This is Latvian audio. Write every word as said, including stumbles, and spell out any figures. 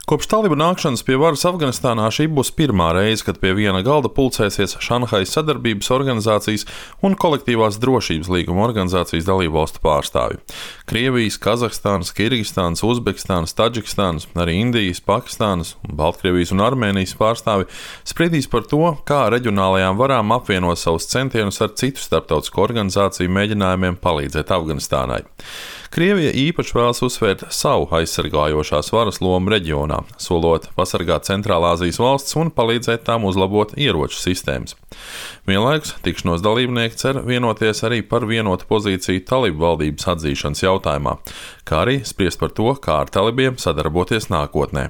Kopš talibu nākšanas pie varas Afganistānā šī būs pirmā reize, kad pie viena galda pulcēsies Šanhajas sadarbības organizācijas un kolektīvās drošības līguma organizācijas dalībvalstu pārstāvji. Krievijas, Kazahstānas, Kirgistānas, Uzbekistānas, Tadžikistānas, arī Indijas, Pakistānas, Baltkrievijas un Armēnijas pārstāvji spriedīs par to, kā reģionālajām varām apvienot savus centienus ar citu starptautisku organizāciju mēģinājumiem palīdzēt Afganistānai. Krievija īpaši vēlas uzsvērt savu aizsargājošās varas lomu reģionā, solot pasargāt Centrālāzijas valsts un palīdzēt tām uzlabot ieroču sistēmas. Vienlaikus tikšanos dalībnieki cer vienoties arī par vienotu pozīciju talibu valdības atzīšanas jautājumā, kā arī spriest par to, kā ar talibiem sadarboties nākotnē.